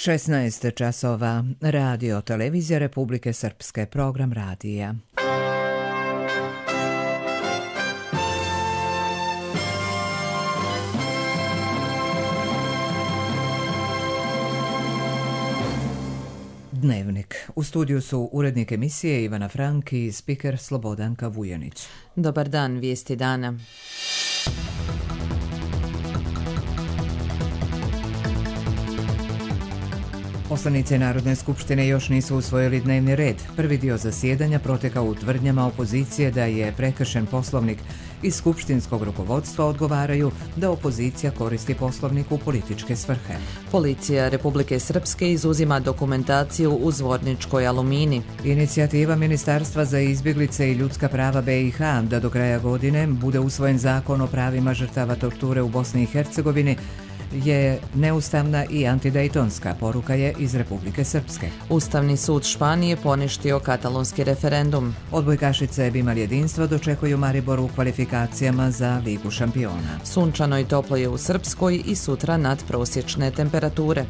16 časova. Radio Televizija Republike Srpske. Program radija. Dnevnik. U studiju su urednik emisije Ivana Frank i spiker Slobodanka Vujanić. Dobar dan, vijesti dana. Poslanici Narodne skupštine još nisu usvojili dnevni red. Prvi dio zasjedanja protekao u tvrdnjama opozicije da je prekršen poslovnik. Iz skupštinskog rukovodstva odgovaraju da opozicija koristi poslovnik u političke svrhe. Policija Republike Srpske izuzima dokumentaciju u Zvorničkoj Alumini. Inicijativa Ministarstva za izbjeglice i ljudska prava BiH da do kraja godine bude usvojen zakon o pravima žrtava torture u Bosni i Hercegovini je neustavna i antidejtonska, poruka je iz Republike Srpske. Ustavni sud Španije poništio katalonski referendum. Odbojkašice Bimal jedinstva dočekuju Mariboru u kvalifikacijama za Ligu šampiona. Sunčano i toplo je u Srpskoj i sutra nadprosječne temperature.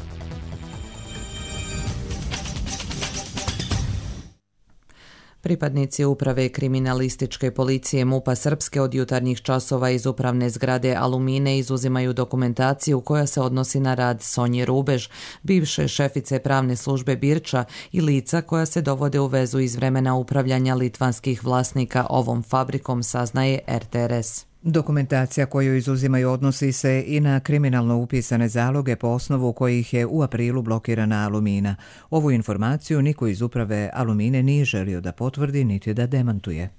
Pripadnici uprave kriminalističke policije MUP-a Srpske od jutarnjih časova iz upravne zgrade Alumine izuzimaju dokumentaciju koja se odnosi na rad Sonje Rubež, bivše šefice pravne službe Birča i lica koja se dovode u vezu iz vremena upravljanja litvanskih vlasnika ovom fabrikom, saznaje RTRS. Dokumentacija koju izuzimaju odnosi se i na kriminalno upisane zaloge po osnovu kojih je u aprilu blokirana Alumina. Ovu informaciju niko iz uprave Alumine nije želio da potvrdi niti da demantuje.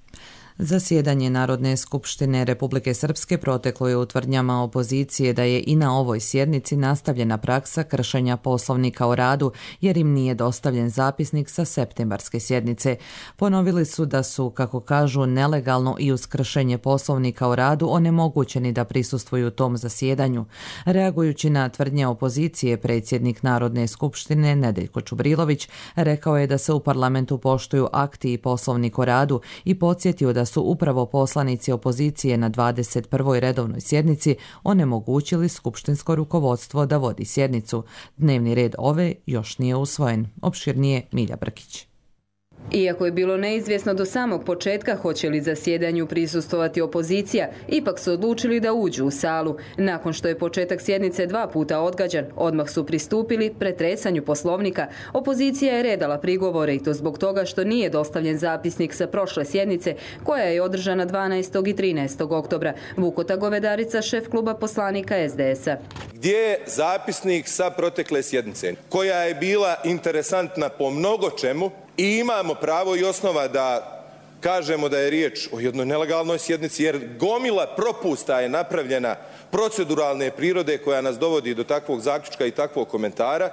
Zasjedanje Narodne skupštine Republike Srpske proteklo je u tvrdnjama opozicije da je i na ovoj sjednici nastavljena praksa kršenja poslovnika o radu jer im nije dostavljen zapisnik sa septembarske sjednice. Ponovili su da su, kako kažu, nelegalno i uz kršenje poslovnika o radu onemogućeni da prisustvuju tom zasjedanju. Reagujući na tvrdnje opozicije, predsjednik Narodne skupštine Nedeljko Čubrilović rekao je da se u parlamentu poštuju akti i poslovnik o radu i podsjetio da su upravo poslanici opozicije na 21. redovnoj sjednici onemogućili skupštinsko rukovodstvo da vodi sjednicu. Dnevni red ove još nije usvojen. Opširnije Milja Brkić. Iako je bilo neizvjesno do samog početka hoće li zasjedanju prisustvovati opozicija, ipak su odlučili da uđu u salu. Nakon što je početak sjednice 2 puta odgađan, odmah su pristupili pretresanju poslovnika. Opozicija je redala prigovore i to zbog toga što nije dostavljen zapisnik sa prošle sjednice koja je održana 12. i 13. oktobra. Vukota Govedarica, šef kluba poslanika SDS-a. Gdje je zapisnik sa protekle sjednice koja je bila interesantna po mnogo čemu? I imamo pravo i osnova da kažemo da je riječ o jednoj nelegalnoj sjednici jer gomila propusta je napravljena proceduralne prirode koja nas dovodi do takvog zaključka i takvog komentara.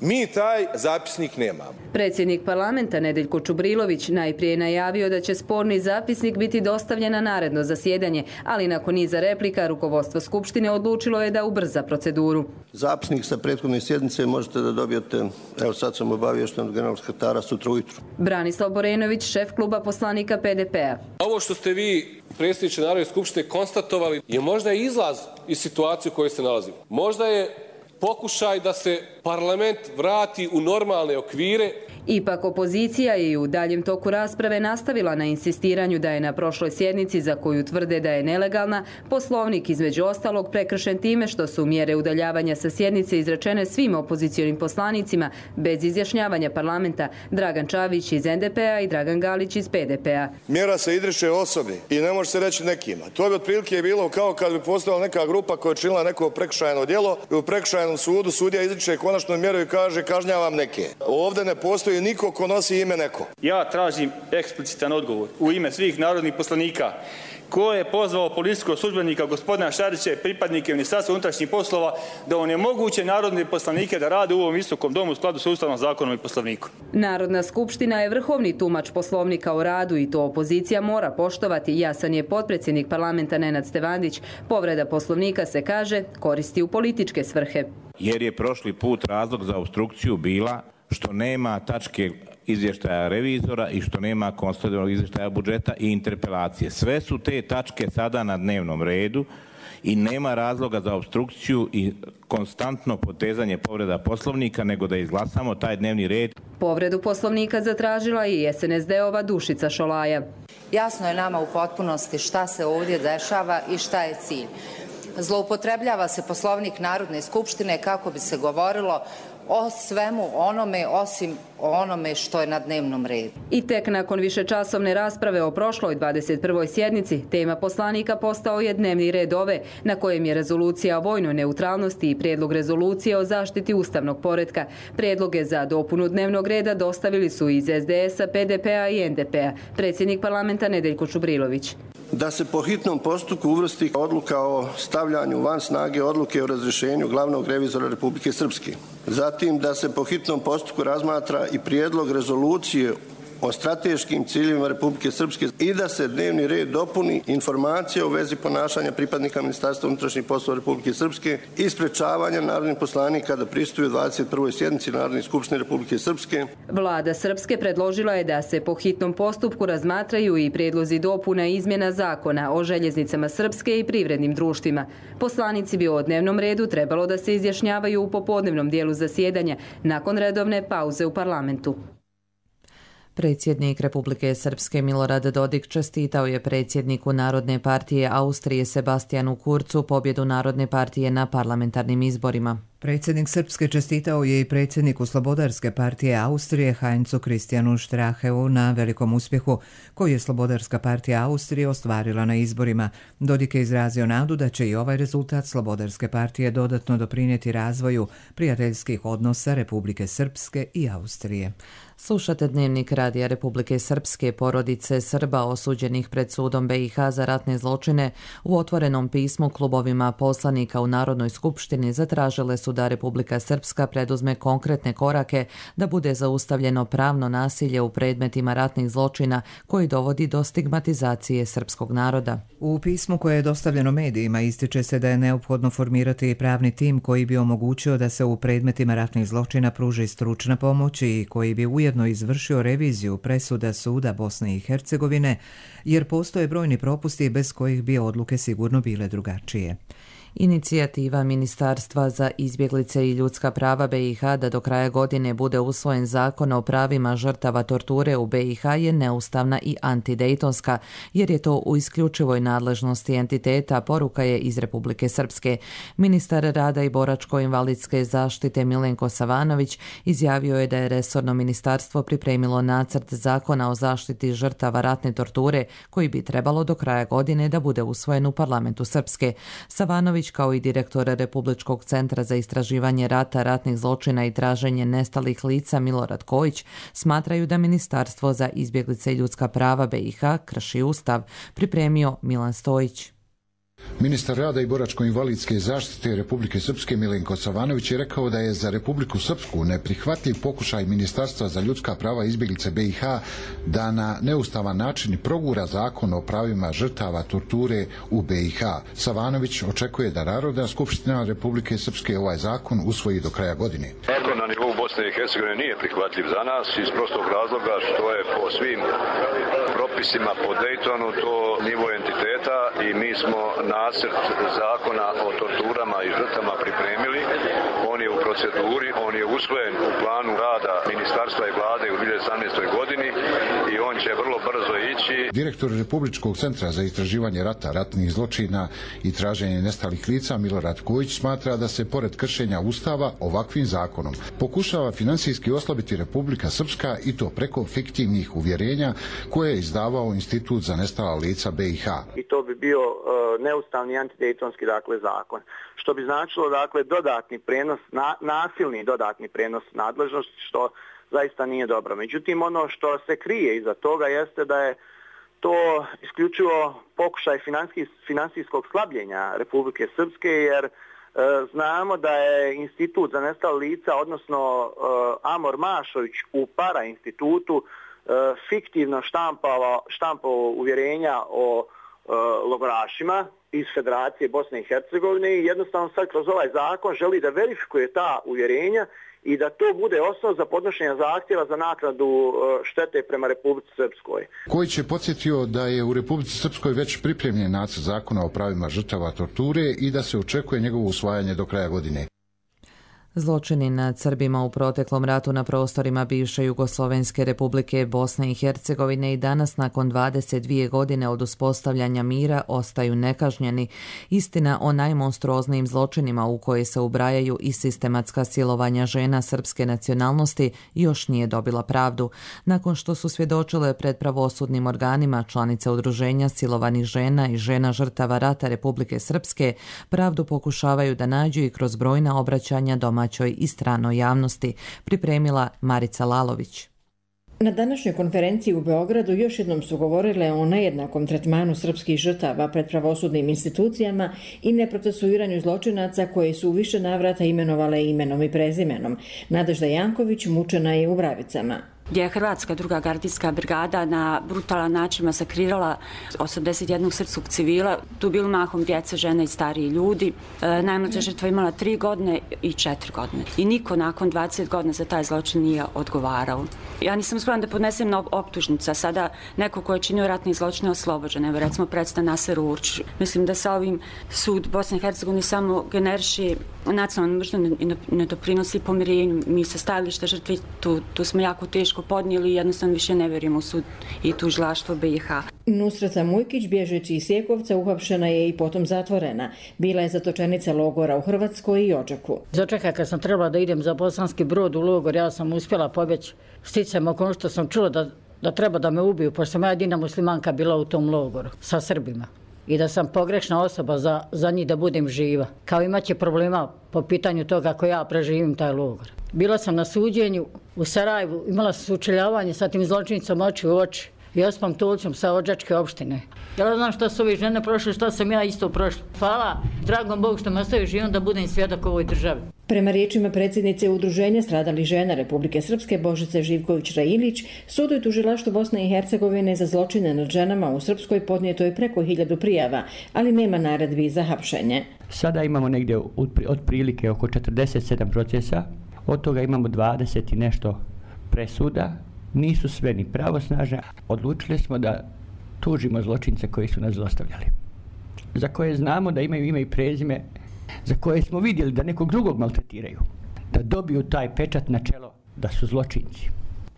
Mi taj zapisnik nemamo. Predsjednik parlamenta Nedeljko Čubrilović najprije najavio da će sporni zapisnik biti dostavljen na naredno zasjedanje, ali nakon niza replika rukovodstvo Skupštine odlučilo je da ubrza proceduru. Zapisnik sa prethodne sjednice možete da dobijete, evo sad sam obaviješten od generalnog sekretara, sutra ujutru. Branislav Borenović, šef kluba poslanika PDP-a. Ovo što ste vi, predsjedniče Narodne skupštine, konstatovali je možda izlaz iz situacije u kojoj se nalazimo. Možda je pokušaj da se parlament vrati u normalne okvire. Ipak opozicija je u daljem toku rasprave nastavila na insistiranju da je na prošloj sjednici, za koju tvrde da je nelegalna, poslovnik između ostalog prekršen time što su mjere udaljavanja sa sjednice izrečene svim opozicionim poslanicima bez izjašnjavanja parlamenta, Dragan Čavić iz NDP-a i Dragan Galić iz PDP-a. Mjera se izriče osobi i ne može se reći nekima. To bi otprilike bilo kao kad bi postojala neka grupa koja je činila neko prekršajno djelo i u prekršajnom sudu sudija izriče konačnu mjeru i kaže kažnjavam neke. Ovdje ne postoji niko ko nosi ime neko. Ja tražim eksplicitan odgovor u ime svih narodnih poslanika. Ko je pozvao policijskog službenika gospodina Šarića i pripadnike Ministarstva unutrašnjih poslova da onemoguće narodne poslanike da rade u ovom visokom domu u skladu sa Ustavnom zakonom i poslovnikom? Narodna skupština je vrhovni tumač poslovnika o radu i to opozicija mora poštovati. Jasan je potpredsjednik parlamenta Nenad Stevandić. Povreda poslovnika se kaže koristi u političke svrhe. Jer je prošli put razlog za opstrukciju bila što nema tačke izvještaja revizora i što nema konsolidovanog izvještaja budžeta i interpelacije. Sve su te tačke sada na dnevnom redu i nema razloga za opstrukciju i konstantno potezanje povreda Poslovnika, nego da izglasamo taj dnevni red. Povredu Poslovnika zatražila i SNSD-ova Dušica Šolaja. Jasno je nama u potpunosti šta se ovdje dešava i šta je cilj. Zloupotrebljava se Poslovnik Narodne skupštine kako bi se govorilo o svemu onome osim o onome što je na dnevnom redu. I tek nakon višečasovne rasprave o prošloj 21. sjednici, tema poslanika postao je dnevni red ove, na kojem je rezolucija o vojnoj neutralnosti i prijedlog rezolucije o zaštiti ustavnog poretka. Prijedloge za dopunu dnevnog reda dostavili su iz SDS-a, PDP-a i NDP-a. Predsjednik parlamenta Nedeljko Čubrilović. Da se po hitnom postupku uvrsti odluka o stavljanju van snage odluke o razrješenju glavnog revizora Republike Srpske. Zatim da se po hitnom postupku razmatra i prijedlog rezolucije o strateškim ciljevima Republike Srpske i da se dnevni red dopuni informacija u vezi ponašanja pripadnika Ministarstva unutrašnjih poslova Republike Srpske i sprečavanja narodnih poslanika da prisustvuju 21. sjednici Narodne skupštine Republike Srpske. Vlada Srpske predložila je da se po hitnom postupku razmatraju i prijedlozi dopuna i izmjena zakona o željeznicama Srpske i privrednim društvima. Poslanici bi o dnevnom redu trebalo da se izjašnjavaju u popodnevnom dijelu zasjedanja nakon redovne pauze u parlamentu. Predsjednik Republike Srpske Milorad Dodik čestitao je predsjedniku Narodne partije Austrije Sebastijanu Kurzu pobjedu Narodne partije na parlamentarnim izborima. Predsjednik Srpske čestitao je i predsjedniku Slobodarske partije Austrije Heinzu Christianu Stracheu na velikom uspjehu koji je Slobodarska partija Austrije ostvarila na izborima. Dodik je izrazio nadu da će i ovaj rezultat Slobodarske partije dodatno doprinijeti razvoju prijateljskih odnosa Republike Srpske i Austrije. Slušate Dnevnik Radija Republike Srpske. Porodice Srba osuđenih pred sudom BiH za ratne zločine u otvorenom pismu klubovima poslanika u Narodnoj skupštini zatražile su da Republika Srpska preduzme konkretne korake da bude zaustavljeno pravno nasilje u predmetima ratnih zločina koji dovodi do stigmatizacije srpskog naroda. U pismu koje je dostavljeno medijima ističe se da je neophodno formirati pravni tim koji bi omogućio da se u predmetima ratnih zločina pruži stručna pomoć i koji bi ujedno izvršio reviziju presuda Suda Bosne i Hercegovine, jer postoje brojni propusti bez kojih bi odluke sigurno bile drugačije. Inicijativa Ministarstva za izbjeglice i ljudska prava BiH da do kraja godine bude usvojen zakon o pravima žrtava torture u BiH je neustavna i antidejtonska, jer je to u isključivoj nadležnosti entiteta, poruka je iz Republike Srpske. Ministar rada i boračko-invalidske zaštite Milenko Savanović izjavio je da je resorno ministarstvo pripremilo nacrt zakona o zaštiti žrtava ratne torture koji bi trebalo do kraja godine da bude usvojen u parlamentu Srpske. Savanović kao i direktor Republičkog centra za istraživanje rata, ratnih zločina i traženje nestalih lica Milorad Kojić smatraju da Ministarstvo za izbjeglice i ljudska prava BiH krši ustav, pripremio Milan Stojić. Ministar rada i boračko-invalidske zaštite Republike Srpske Milenko Savanović je rekao da je za Republiku Srpsku neprihvatljiv pokušaj Ministarstva za ljudska prava i izbjeglice BiH da na neustavan način progura zakon o pravima žrtava torture u BiH. Savanović očekuje da Narodna skupština Republike Srpske ovaj zakon usvoji do kraja godine. Zakon na nivou Bosne i Hercegovine nije prihvatljiv za nas iz prostog razloga što je po svim propisima po Daytonu to nivo entiteta i mi smo nacrt zakona o torturama i žrtvama pripremili. On je u proceduri, on je usvojen u planu rada ministarstva i vlade u 2018. godini i on će vrlo brzo ići. Direktor Republičkog centra za istraživanje rata, ratnih zločina i traženje nestalih lica Milorad Kojić smatra da se pored kršenja Ustava ovakvim zakonom pokušava finansijski oslabiti Republika Srpska i to preko fiktivnih uvjerenja koje je izdavao Institut za nestala lica BiH. I to bi bio neustavni antidejtonski zakon, što bi značilo dodatni prenos, nasilni dodatni prenos nadležnosti, što zaista nije dobro. Međutim, ono što se krije iza toga jeste da je to isključivo pokušaj finansijskog slabljenja Republike Srpske, jer znamo da je Institut za nestala lica, odnosno Amor Mašović u para institutu fiktivno štampao uvjerenja o logorašima iz Federacije Bosne i Hercegovine i jednostavno sad kroz ovaj zakon želi da verifikuje ta uvjerenja i da to bude osnov za podnošenje zahtjeva za naknadu štete prema Republici Srpskoj. Kojić je podsjetio da je u Republici Srpskoj već pripremljen nacrt zakona o pravima žrtava torture i da se očekuje njegovo usvajanje do kraja godine. Zločini nad Srbima u proteklom ratu na prostorima bivše Jugoslovenske republike Bosne i Hercegovine i danas nakon 22 godine od uspostavljanja mira ostaju nekažnjeni. Istina o najmonstruoznijim zločinima u koje se ubrajaju i sistematska silovanja žena srpske nacionalnosti još nije dobila pravdu. Nakon što su svjedočile pred pravosudnim organima, članice udruženja silovanih žena i žena žrtava rata Republike Srpske pravdu pokušavaju da nađu i kroz brojna obraćanja domaćoj i stranoj javnosti, pripremila Marica Lalović. Na današnjoj konferenciji u Beogradu još jednom su govorile o nejednakom tretmanu srpskih žrtava pred pravosudnim institucijama i neprocesuiranju zločinaca koje su u više navrata imenovale imenom i prezimenom. Nadežda Janković mučena je u Bravicama, gdje je Hrvatska druga gardijska brigada na brutalan način masakrirala 81 srpskog civila. Tu bili mahom djeca, žene i stariji ljudi. Najmlađa žrtva imala 3 godine i 4 godine. I niko nakon 20 godina za taj zločin nije odgovarao. Ja nisam spremna da podnesem na optužnica. Sada neko ko je činio ratni zločin je oslobođen. Evo recimo predstav Naser Urč. Mislim da sa ovim sud Bosne i Hercegovine samo generiše nacionalnu mržnju i ne doprinosi pomirenju. Mi sa stajališta žrtvi tu smo jako teško podnijeli i jednostavno više ne vjerujemo u sud i tužilaštvo BiH. Nusreta Mujkić, bježeći iz Sjekovca, uhapšena je i potom zatvorena. Bila je zatočenica logora u Hrvatskoj i Odžaku. Za čeka kad sam trebala da idem za Bosanski Brod u logor, ja sam uspjela pobjeći. Sticam oko što sam čula da treba da me ubiju, pošto sam ja jedina muslimanka bila u tom logoru sa Srbima. I da sam pogrešna osoba za njih da budem živa. Kao imaće problema po pitanju toga ako ja preživim taj logor. Bila sam na suđenju u Sarajevu, imala sam sučeljavanje sa tim zločinicom oči u oči i Ospom Tulcom sa Odžačke opštine. Ja znam šta su ove žene prošle, šta sam ja isto prošla. Hvala dragom Bogu što me ostavi živom da budem svjedok ovoj državi. Prema riječima predsjednice Udruženja stradalih žena Republike Srpske Božice Živković-Railić, sudu i tužilaštvu Bosne i Hercegovine za zločine nad ženama u Srpskoj podnijeto je preko 1000 prijava, ali nema naredbi za hapšenje. Sada imamo negdje otprilike oko 47 procesa, od toga imamo 20 i nešto presuda, nisu sve ni pravosnažne. Odlučili smo da tužimo zločince koji su nas zlostavljali, za koje znamo da imaju ime i prezime, za koje smo vidjeli da nekog drugog maltretiraju, da dobiju taj pečat na čelo da su zločinci.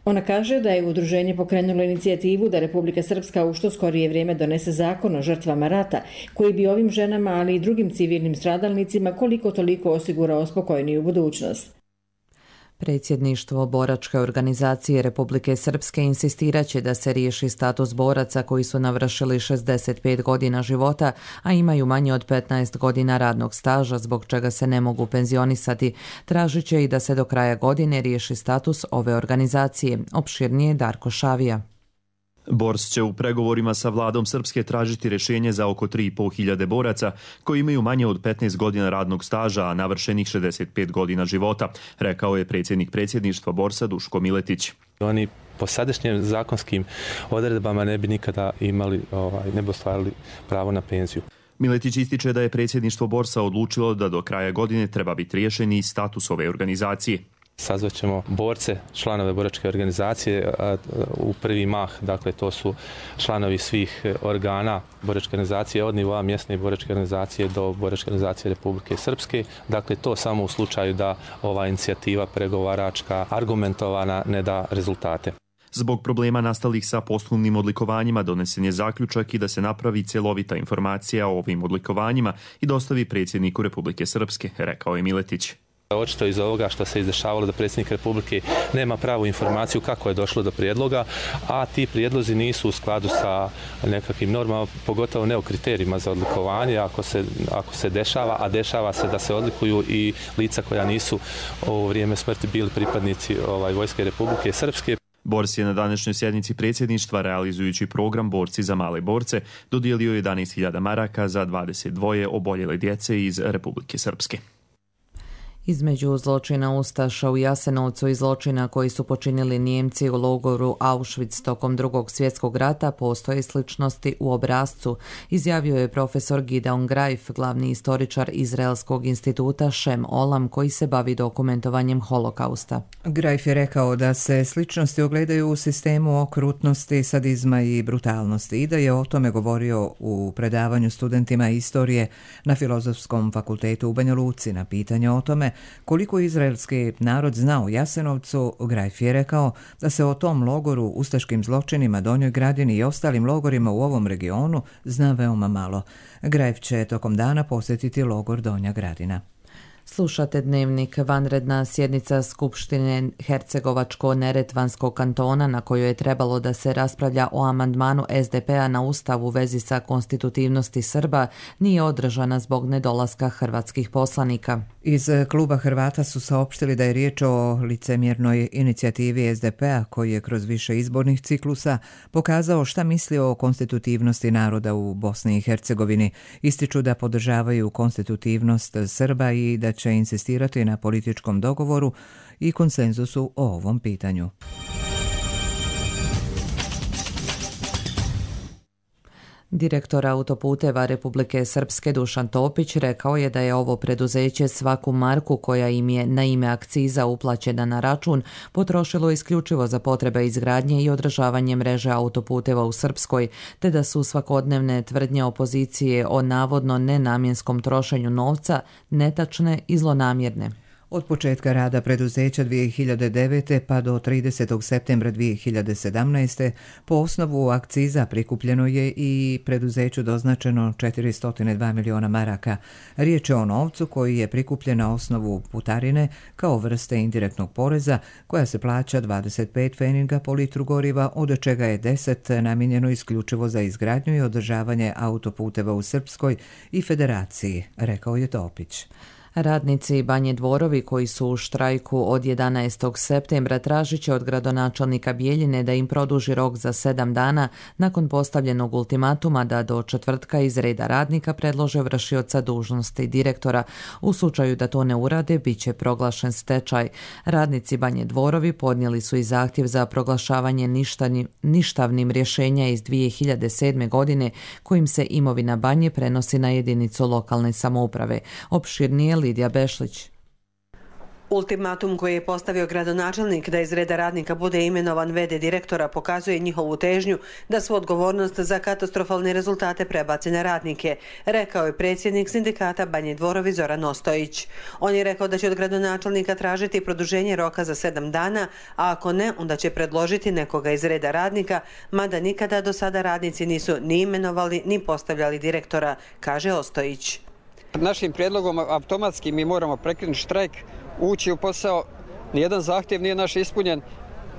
Ona kaže da je udruženje pokrenulo inicijativu da Republika Srpska u što skorije vrijeme donese zakon o žrtvama rata, koji bi ovim ženama, ali i drugim civilnim stradalnicima koliko toliko osigurao spokojniju budućnost. Predsjedništvo boračke organizacije Republike Srpske insistiraće da se riješi status boraca koji su navršili 65 godina života, a imaju manje od 15 godina radnog staža, zbog čega se ne mogu penzionisati. Tražit će i da se do kraja godine riješi status ove organizacije. Opširnije Darko Šavija. Bors će u pregovorima sa vladom Srpske tražiti rješenje za oko 3.500 boraca koji imaju manje od 15 godina radnog staža, a navršenih 65 godina života, rekao je predsjednik predsjedništva Borsa Duško Miletić. Oni po sadašnjim zakonskim odredbama ne bi nikada imali, ne bi ostvarili pravo na penziju. Miletić ističe da je predsjedništvo Borsa odlučilo da do kraja godine treba biti riješen i status ove organizacije. Sazvaćemo borce, članove boračke organizacije u prvi mah, dakle to su članovi svih organa boračke organizacije od nivoa mjesne boračke organizacije do boračke organizacije Republike Srpske. Dakle to samo u slučaju da ova inicijativa pregovaračka argumentovana ne da rezultate. Zbog problema nastalih sa posthumnim odlikovanjima donesen je zaključak i da se napravi cjelovita informacija o ovim odlikovanjima i dostavi predsjedniku Republike Srpske, rekao je Miletić. Očito iz ovoga što se izdešavalo da predsjednik Republike nema pravu informaciju kako je došlo do prijedloga, a ti prijedlozi nisu u skladu sa nekakvim normama, pogotovo ne o kriterijima za odlikovanje, ako se dešava, a dešava se da se odlikuju i lica koja nisu u vrijeme smrti bili pripadnici Vojske Republike Srpske. Bors je na današnjoj sjednici predsjedništva, realizujući program Borci za male borce, dodijelio 11.000 maraka za 22 oboljele djece iz Republike Srpske. Između zločina ustaša u Jasenovcu i zločina koji su počinili Nijemci u logoru Auschwitz tokom Drugog svjetskog rata postoje sličnosti u obrascu, izjavio je profesor Gideon Greif, glavni istoričar Izraelskog instituta Shem Olam koji se bavi dokumentovanjem holokausta. Greif je rekao da se sličnosti ogledaju u sistemu okrutnosti, sadizma i brutalnosti i da je o tome govorio u predavanju studentima istorije na Filozofskom fakultetu u Banja Luci. Na pitanje o tome koliko izraelski narod zna o Jasenovcu, Greif je rekao da se o tom logoru, ustaškim zločinima, Donjoj Gradini i ostalim logorima u ovom regionu zna veoma malo. Greif će tokom dana posjetiti logor Donja Gradina. Slušate Dnevnik. Vanredna sjednica Skupštine Hercegovačko-Neretvanskog kantona na kojoj je trebalo da se raspravlja o amandmanu SDP-a na Ustav u vezi sa konstitutivnosti Srba nije održana zbog nedolaska hrvatskih poslanika. Iz kluba Hrvata su saopštili da je riječ o licemjernoj inicijativi SDP-a koji je kroz više izbornih ciklusa pokazao šta misli o konstitutivnosti naroda u Bosni i Hercegovini. Ističu da podržavaju konstitutivnost Srba i da će insistirati na političkom dogovoru i konsenzusu o ovom pitanju. Direktor autoputeva Republike Srpske Dušan Topić rekao je da je ovo preduzeće svaku marku koja im je na ime akciza uplaćena na račun potrošilo isključivo za potrebe izgradnje i održavanje mreže autoputeva u Srpskoj, te da su svakodnevne tvrdnje opozicije o navodno nenamjenskom trošenju novca netačne i zlonamjerne. Od početka rada preduzeća 2009. pa do 30. septembra 2017. po osnovu akciza prikupljeno je i preduzeću doznačeno 402 miliona maraka. Riječ je o novcu koji je prikupljen na osnovu putarine kao vrste indirektnog poreza koja se plaća 25 pfeninga po litru goriva, od čega je 10 namijenjeno isključivo za izgradnju i održavanje autoputeva u Srpskoj i Federaciji, rekao je Topić. Radnici Banje Dvorovi koji su u štrajku od 11. septembra tražit će od gradonačelnika Bijeljine da im produži rok za 7 dana nakon postavljenog ultimatuma da do četvrtka iz reda radnika predlože vršioca dužnosti direktora. U slučaju da to ne urade, bit će proglašen stečaj. Radnici Banje Dvorovi podnijeli su i zahtjev za proglašavanje ništavnim rješenja iz 2007. godine kojim se imovina Banje prenosi na jedinicu lokalne samouprave. Opširnije Lidija Bešlić. Ultimatum koji je postavio gradonačelnik da iz reda radnika bude imenovan v.d. direktora pokazuje njihovu težnju da svu odgovornost za katastrofalne rezultate prebaci na radnike, rekao je predsjednik sindikata Banje Dvorovi Zoran Ostojić. On je rekao da će od gradonačelnika tražiti produženje roka za 7 dana, a ako ne, onda će predložiti nekoga iz reda radnika, mada nikada do sada radnici nisu ni imenovali ni postavljali direktora, kaže Ostojić. Našim prijedlogom automatski mi moramo prekinuti štrajk, ući u posao, nijedan zahtjev nije naš ispunjen,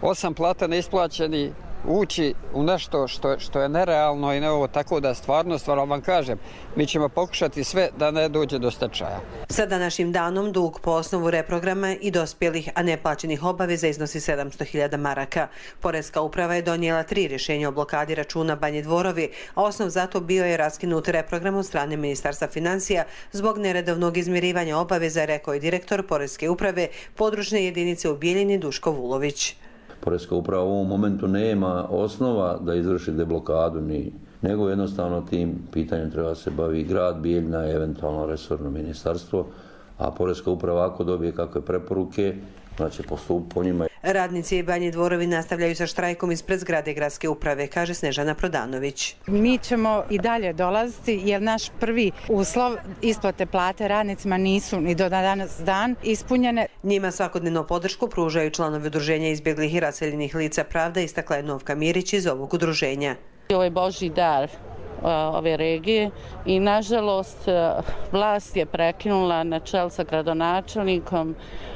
8 plata neisplaćeni, ući u nešto što je nerealno i ne ovo, tako da stvarno vam kažem, mi ćemo pokušati sve da ne dođe do stečaja. Sa današnjim danom dug po osnovu reprograma i dospjelih, a neplaćenih obaveza iznosi 700.000 maraka. Poreska uprava je donijela 3 rješenja o blokadi računa Banje Dvorovi, a osnov za to bio je raskinut reprogram od strane Ministarstva financija zbog neredovnog izmirivanja obaveza, rekao je direktor Poreske uprave područne jedinice u Bijeljini Duško Vulović. Poreska uprava u ovom momentu nema osnova da izvrši deblokadu, nego jednostavno tim pitanjem treba se bavi grad Bijeljina i eventualno resorno ministarstvo, a Poreska uprava ako dobije kakve preporuke, znači postupiti po njima. Radnici i Banje Dvorovi nastavljaju sa štrajkom ispred zgrade gradske uprave, kaže Snežana Prodanović. Mi ćemo i dalje dolaziti jer naš prvi uslov isplate plate radnicima nisu ni do danas dan ispunjene. Njima svakodnevno podršku pružaju članovi udruženja izbjeglih i raseljenih lica Pravda, istakla je Novka Mirić iz ovog udruženja. Ovo je Božji dar ove regije i nažalost vlast je prekinula na čelu sa gradonačelnikom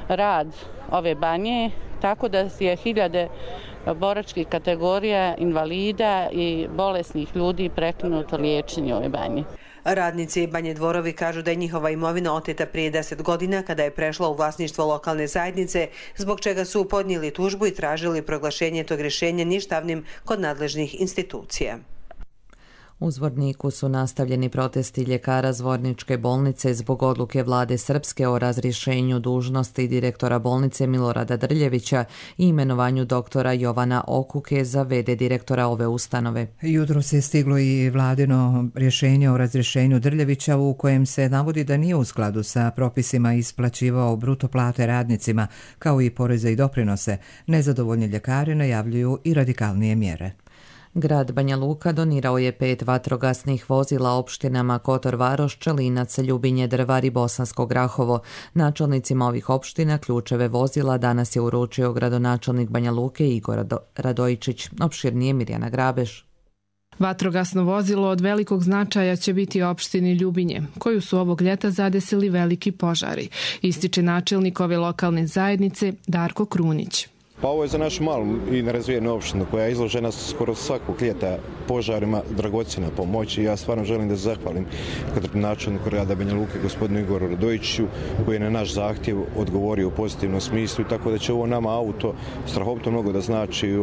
rad ove banje, tako da je hiljade boračkih kategorija invalida i bolesnih ljudi prekinuto liječenje ove banje. Radnici Banje Dvorovi kažu da je njihova imovina oteta prije 10 godina kada je prešla u vlasništvo lokalne zajednice, zbog čega su podnijeli tužbu i tražili proglašenje tog rješenja ništavnim kod nadležnih institucija. U Zvorniku su nastavljeni protesti ljekara Zvorničke bolnice zbog odluke vlade Srpske o razrješenju dužnosti direktora bolnice Milorada Drljevića i imenovanju doktora Jovana Okuke za v.d. direktora ove ustanove. Jutros je stiglo i vladino rješenje o razrješenju Drljevića u kojem se navodi da nije u skladu sa propisima isplaćivao bruto plate radnicima, kao i poreze i doprinose. Nezadovoljni ljekari najavljuju i radikalnije mjere. Grad Banja Luka donirao je 5 vatrogasnih vozila opštinama Kotor Varoš, Čelinac, Ljubinje, Drvar i Bosansko Grahovo. Načelnicima ovih opština ključeve vozila danas je uručio gradonačelnik Banja Luke Igor Radojičić. Opširnije Mirjana Grabeš. Vatrogasno vozilo od velikog značaja će biti opštini Ljubinje, koju su ovog ljeta zadesili veliki požari, ističe načelnik ove lokalne zajednice Darko Krunić. Pa ovo je za našu malu i nerazvijenu opštinu koja je izložena skoro svakog ljeta požarima dragocjena pomoć i ja stvarno želim da se zahvalim načelniku grada Banja Luke gospodinu Igoru Radojičiću koji je na naš zahtjev odgovorio u pozitivnom smislu i tako da će ovo nama auto strahovito mnogo da znači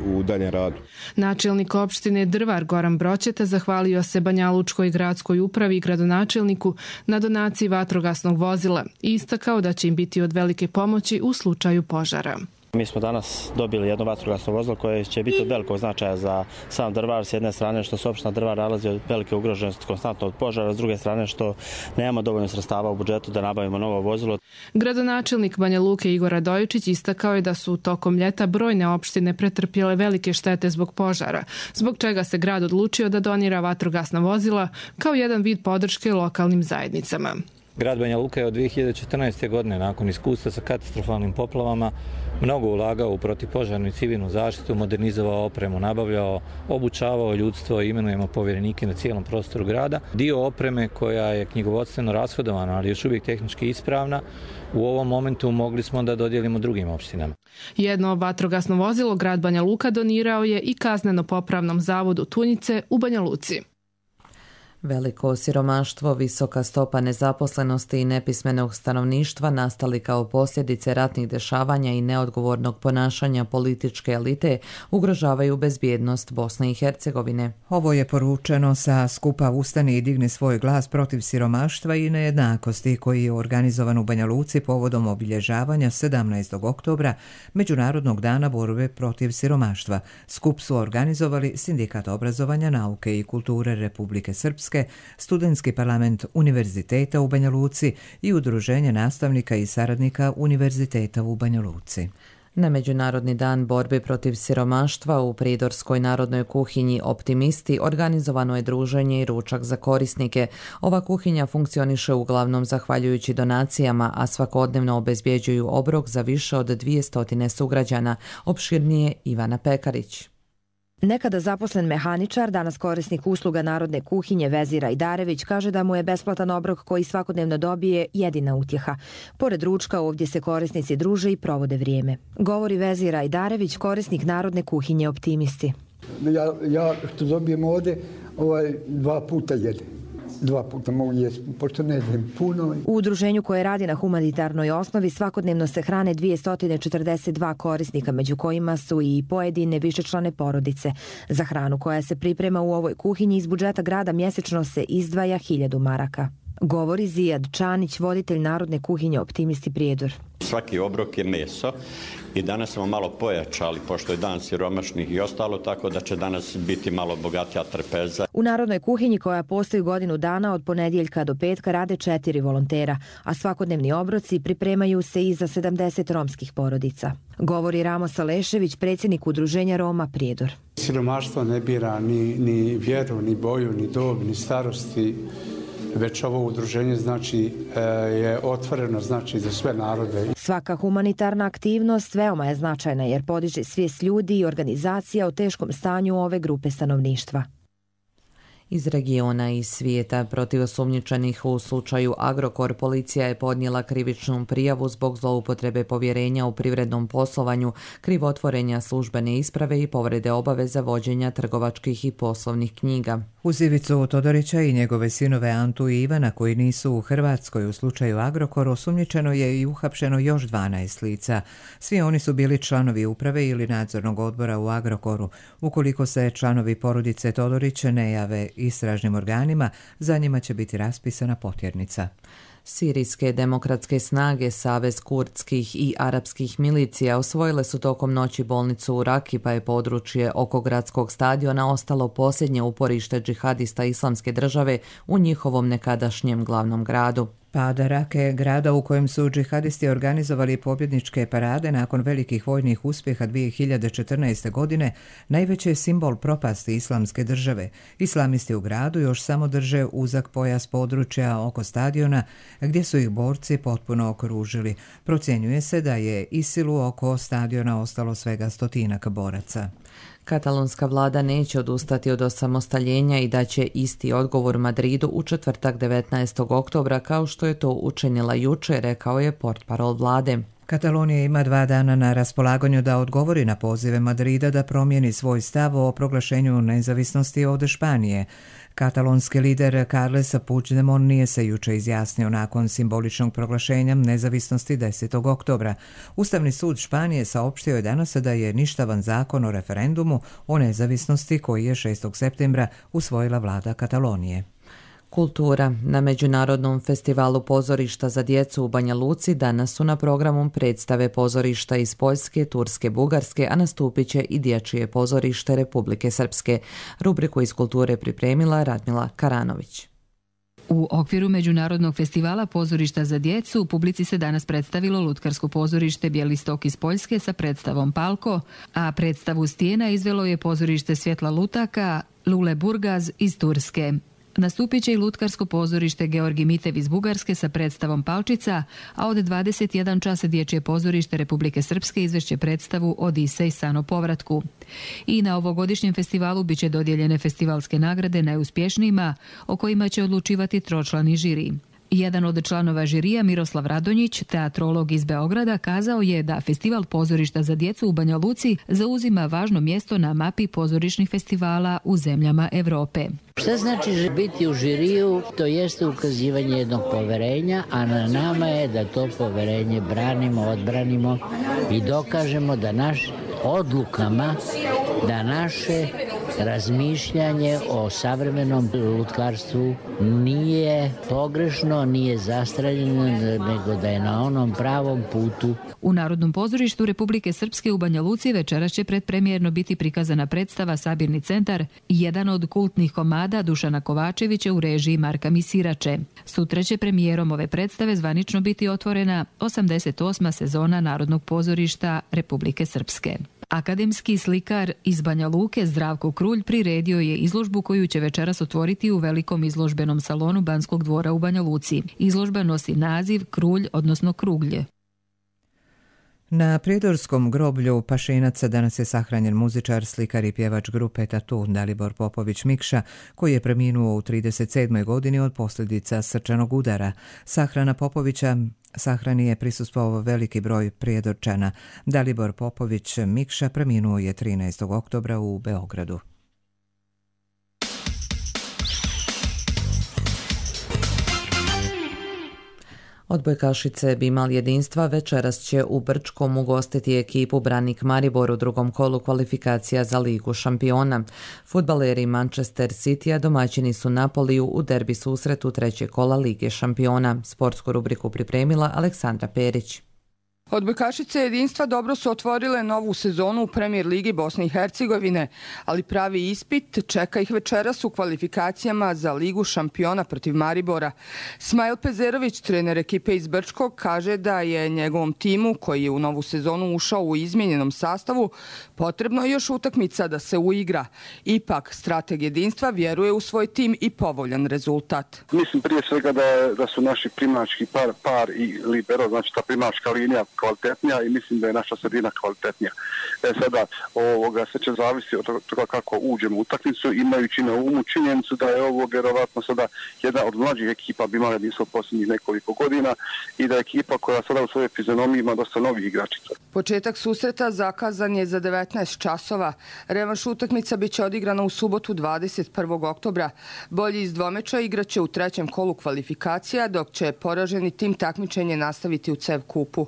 u daljem radu. Načelnik opštine Drvar Goran Broćeta zahvalio se Banjalučkoj gradskoj upravi i gradonačelniku na donaciji vatrogasnog vozila i istakao da će im biti od velike pomoći u slučaju požara. Mi smo danas dobili jedno vatrogasno vozilo koje će biti od velikog značaja za sam Drvar, s jedne strane što se opština Drvar nalazi od velike ugroženosti konstantno od požara, s druge strane što nemamo dovoljno sredstava u budžetu da nabavimo novo vozilo. Gradonačelnik Banja Luke Igor Radojičić istakao je da su tokom ljeta brojne opštine pretrpjele velike štete zbog požara, zbog čega se grad odlučio da donira vatrogasna vozila kao jedan vid podrške lokalnim zajednicama. Grad Banja Luka je od 2014. godine nakon iskustva sa katastrofalnim poplavama mnogo ulagao u protivpožarnu i civilnu zaštitu, modernizovao opremu, nabavljao, obučavao ljudstvo i imenujemo povjerenike na cijelom prostoru grada. Dio opreme koja je knjigovodstveno rashodovana, ali još uvijek tehnički ispravna, u ovom momentu mogli smo da dodijelimo drugim opštinama. Jedno vatrogasno vozilo grad Banja Luka donirao je i kazneno-popravnom zavodu Tunjice u Banja Luci. Veliko siromaštvo, visoka stopa nezaposlenosti i nepismenog stanovništva nastali kao posljedice ratnih dešavanja i neodgovornog ponašanja političke elite ugrožavaju bezbjednost Bosne i Hercegovine. Ovo je poručeno sa skupa Ustani i digni svoj glas protiv siromaštva i nejednakosti koji je organizovan u Banja Luci povodom obilježavanja 17. oktobra Međunarodnog dana borbe protiv siromaštva. Skup su organizovali Sindikat obrazovanja, nauke i kulture Republike Srpske, Studentski parlament Univerziteta u Banja Luci i Udruženje nastavnika i saradnika Univerziteta u Banja Luci. Na Međunarodni dan borbe protiv siromaštva u Pridorskoj narodnoj kuhinji Optimisti organizovano je druženje i ručak za korisnike. Ova kuhinja funkcioniše uglavnom zahvaljujući donacijama, a svakodnevno obezbjeđuju obrok za više od 200 sugrađana. Opširnije Ivana Pekarić. Nekada zaposlen mehaničar, danas korisnik usluga Narodne kuhinje Vezir Ajdarević kaže da mu je besplatan obrok koji svakodnevno dobije jedina utjeha. Pored ručka ovdje se korisnici druže i provode vrijeme. Govori Vezir Ajdarević, korisnik Narodne kuhinje Optimisti. Ja što dobijem ovdje 2 puta jedem. 2 puta mogu jesti, pošto ne znam puno. U udruženju koje radi na humanitarnoj osnovi svakodnevno se hrane 242 korisnika, među kojima su i pojedine višečlane porodice. Za hranu koja se priprema u ovoj kuhinji iz budžeta grada mjesečno se izdvaja 1000 maraka. Govori Zijad Čanić, voditelj Narodne kuhinje Optimisti Prijedor. Svaki obrok je meso i danas smo malo pojačali, pošto je dan siromašnih i ostalo, tako da će danas biti malo bogatija trpeza. U Narodnoj kuhinji koja postoji godinu dana od ponedjeljka do petka rade 4 volontera, a svakodnevni obroci pripremaju se i za 70 romskih porodica. Govori Ramo Salešević, predsjednik Udruženja Roma Prijedor. Siromaštvo ne bira ni vjeru, ni boju, ni dob, ni starosti. Već ovo udruženje je otvoreno za sve narode. Svaka humanitarna aktivnost veoma je značajna jer podiže svijest ljudi i organizacija o teškom stanju ove grupe stanovništva. Iz regiona i svijeta protiv osumnjičenih u slučaju Agrokor policija je podnijela krivičnu prijavu zbog zloupotrebe povjerenja u privrednom poslovanju, krivotvorenja službene isprave i povrede obaveza vođenja trgovačkih i poslovnih knjiga. Uz Ivicu Todorića i njegove sinove Antu i Ivana koji nisu u Hrvatskoj u slučaju Agrokor osumnjičeno je i uhapšeno još 12 lica. Svi oni su bili članovi uprave ili nadzornog odbora u Agrokoru. Ukoliko se članovi porodice Todorić ne jave istražnim organima, za njima će biti raspisana potjernica. Sirijske demokratske snage, Savez kurdskih i arapskih milicija osvojile su tokom noći bolnicu u Raki, pa je područje oko gradskog stadiona ostalo posljednje uporište džihadista Islamske države u njihovom nekadašnjem glavnom gradu. Pad Rake, grada u kojem su džihadisti organizovali pobjedničke parade nakon velikih vojnih uspjeha 2014. godine, najveći je simbol propasti Islamske države. Islamisti u gradu još samo drže uzak pojas područja oko stadiona, gdje su ih borci potpuno okružili. Procjenjuje se da je ISIL-u oko stadiona ostalo svega 100 boraca. Katalonska vlada neće odustati od osamostaljenja i da će isti odgovor Madridu u četvrtak 19. oktobra kao što je to učinila jučer, rekao je portparol vlade. Katalonija ima 2 dana na raspolaganju da odgovori na pozive Madrida da promijeni svoj stav o proglašenju nezavisnosti od Španije. Katalonski lider Carles Puigdemont nije se juče izjasnio nakon simboličnog proglašenja nezavisnosti 10. oktobra. Ustavni sud Španije saopštio je danas da je ništavan zakon o referendumu o nezavisnosti koji je 6. septembra usvojila vlada Katalonije. Kultura. Na Međunarodnom festivalu pozorišta za djecu u Banja Luci danas su na programu predstave pozorišta iz Poljske, Turske, Bugarske, a nastupit će i dječje pozorište Republike Srpske. Rubriku iz kulture pripremila Radmila Karanović. U okviru Međunarodnog festivala pozorišta za djecu publici se danas predstavilo lutkarsko pozorište Bjelistok iz Poljske sa predstavom Palko, a predstavu Stijena izvelo je pozorište Svjetla lutaka Lule Burgaz iz Turske. Nastupit će i lutkarsko pozorište Georgi Mitev iz Bugarske sa predstavom Palčica, a od 21 časa dječje pozorište Republike Srpske izvešće predstavu Odisej san o povratku. I na ovogodišnjem festivalu biće dodijeljene festivalske nagrade najuspješnijima, o kojima će odlučivati tročlani žiri. Jedan od članova žirija, Miroslav Radonjić, teatrolog iz Beograda, kazao je da festival pozorišta za djecu u Banja Luci zauzima važno mjesto na mapi pozorišnih festivala u zemljama Evrope. Šta znači biti u žiriju? To jeste ukazivanje jednog poverenja, a na nama je da to poverenje branimo, odbranimo i dokažemo da naš odlukama, da naše razmišljanje o savremenom lutkarstvu nije pogrešno, nije zastraljeno, nego da je na onom pravom putu. U Narodnom pozorištu Republike Srpske u Banja Luci večeras će predpremijerno biti prikazana predstava Sabirni centar, jedan od kultnih komada Dušana Kovačevića u režiji Marka Misirače. Sutra će premijerom ove predstave zvanično biti otvorena 88. sezona Narodnog pozorišta Republike Srpske. Akademski slikar iz Banja Luke Zdravko Krulj priredio je izložbu koju će večeras otvoriti u velikom izložbenom salonu Banskog dvora u Banja Luci. Izložba nosi naziv Krulj, odnosno Kruglje. Na Prijedorskom groblju Pašinaca danas je sahranjen muzičar, slikar i pjevač grupe Tatu Dalibor Popović Mikša, koji je preminuo u 37. godini od posljedica srčanog udara. Sahrana Popovića sahrani je prisustvovao veliki broj Prijedorčana. Dalibor Popović Mikša preminuo je 13. oktobra u Beogradu. Odbojkašice Bimal jedinstva večeras će u Brčkom ugostiti ekipu Branik Maribor u drugom kolu kvalifikacija za Ligu šampiona. Fudbaleri Manchester City-a domaćini su Napoliju u derbi susretu trećeg kola Lige šampiona. Sportsku rubriku pripremila Aleksandra Perić. Odbojkašice jedinstva dobro su otvorile novu sezonu u Premier Ligi Bosne i Hercegovine, ali pravi ispit čeka ih večeras u kvalifikacijama za Ligu šampiona protiv Maribora. Smajl Pezerović, trener ekipe iz Brčkog, kaže da je njegovom timu, koji je u novu sezonu ušao u izmijenjenom sastavu, potrebno još utakmica da se uigra. Ipak, strateg jedinstva vjeruje u svoj tim i povoljan rezultat. Mislim prije svega da su naši primački par i libero, znači ta primačka linija kvalitetnija i mislim da je naša sredina kvalitetnija. Sada sve će zavisiti od toga kako uđemo u utakmicu, imajući na umu činjenicu da je ovo vjerovatno sada jedna od mlađih ekipa bi imala jedinstvo posljednjih nekoliko godina i da je ekipa koja sada u svojoj fizionomiji ima dosta novih igračica. Početak susreta zakazan je za 19 časova. Revanš utakmica biće odigrana u subotu 21. oktobra. Bolji iz dvomeča igraće u trećem kolu kvalifikacija, dok će poraženi tim takmičenje nastaviti u CEV kupu.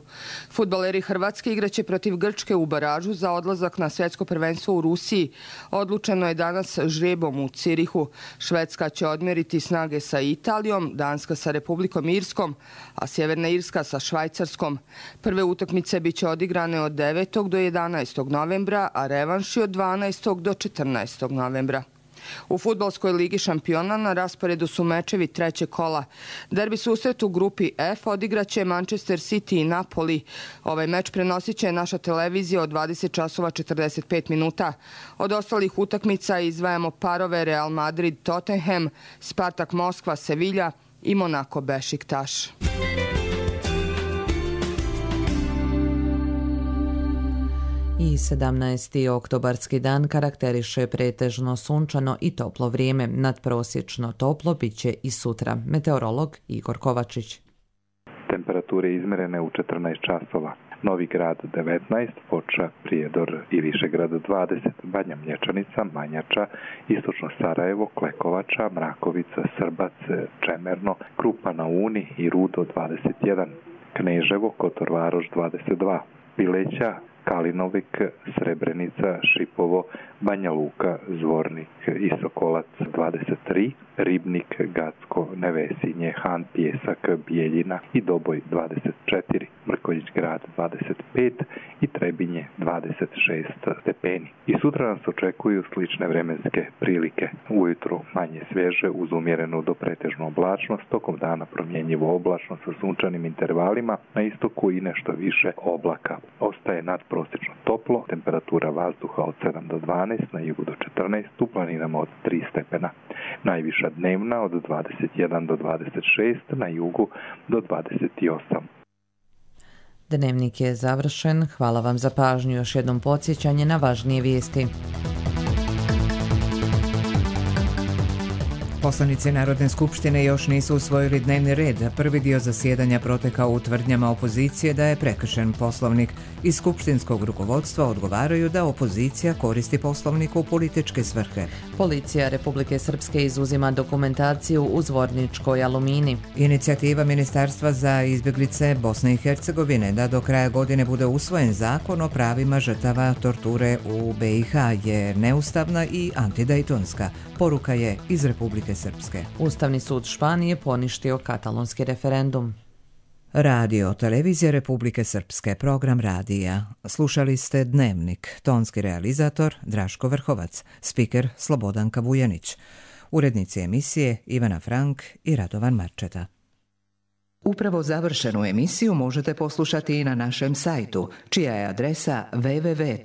Fudbaleri Hrvatske igraće protiv Grčke u baražu za odlazak na svjetsko prvenstvo u Rusiji. Odlučeno je danas žrebom u Cirihu. Švedska će odmjeriti snage sa Italijom, Danska sa Republikom Irskom, a Sjeverna Irska sa Švajcarskom. Prve utakmice biće odigrane od 9. do 11. novembra, a revanši od 12. do 14. novembra. U fudbalskoj ligi šampiona na rasporedu su mečevi trećeg kola. Derbi susret u grupi F odigraće Manchester City i Napoli. Ovaj meč prenosit će naša televizija od 20 časova 45 minuta. Od ostalih utakmica izdvajamo parove Real Madrid Tottenham, Spartak Moskva Sevilla i Monaco Bešiktaš. I 17. oktobarski dan karakteriše pretežno sunčano i toplo vrijeme. Nadprosječno toplo bit će i sutra. Meteorolog Igor Kovačić. Temperature izmjerene u 14 časova. Novi Grad 19, Foča, Prijedor i Višegrad 20, Banja Mlječanica, Manjača, Istočno Sarajevo, Klekovača, Mrakovica, Srbac, Čemerno, Krupa na Uni i Rudo 21, Kneževo, Kotor Varoš 22, Pileća, Kalinovik, Srebrenica, Šipovo, Banja Luka, Zvornik i Sokolac 23, Ribnik, Gacko, Nevesinje, Han, Pjesak, Bijeljina i Doboj 24, Mrkonjić Grad 25 i Trebinje 26 stepeni. I sutra nas očekuju slične vremenske prilike. Ujutro manje svježe uz umjerenu do pretežnu oblačnost, tokom dana promjenjivo oblačno sa sunčanim intervalima, na istoku i nešto više oblaka. Ostaje nadprosječno toplo, temperatura vazduha od 7 do 12, na jugu do 14, u planinama od 3 stepena. Najviša dnevna od 21 do 26, na jugu do 28. Dnevnik je završen. Hvala vam za pažnju. Još jednom podsjećanje na važnije vijesti. Poslanici Narodne skupštine još nisu usvojili dnevni red. Prvi dio zasjedanja protekao u tvrdnjama opozicije da je prekršen poslovnik. Iz skupštinskog rukovodstva odgovaraju da opozicija koristi poslovnik u političke svrhe. Policija Republike Srpske izuzima dokumentaciju u Zvorničkoj Alumini. Inicijativa Ministarstva za izbjeglice Bosne i Hercegovine da do kraja godine bude usvojen zakon o pravima žrtava torture u BiH je neustavna i antidejtonska. Poruka je iz Republike Srpske. Ustavni sud Španije poništio katalonski referendum. Radio, televizija Republike Srpske, program radija. Slušali ste Dnevnik, tonski realizator Draško Vrhovac, spiker Slobodanka Vujanić, urednici emisije Ivana Frank i Radovan Marčeta. Upravo završenu emisiju možete poslušati i na našem sajtu, čija je adresa www.rtrs.tv.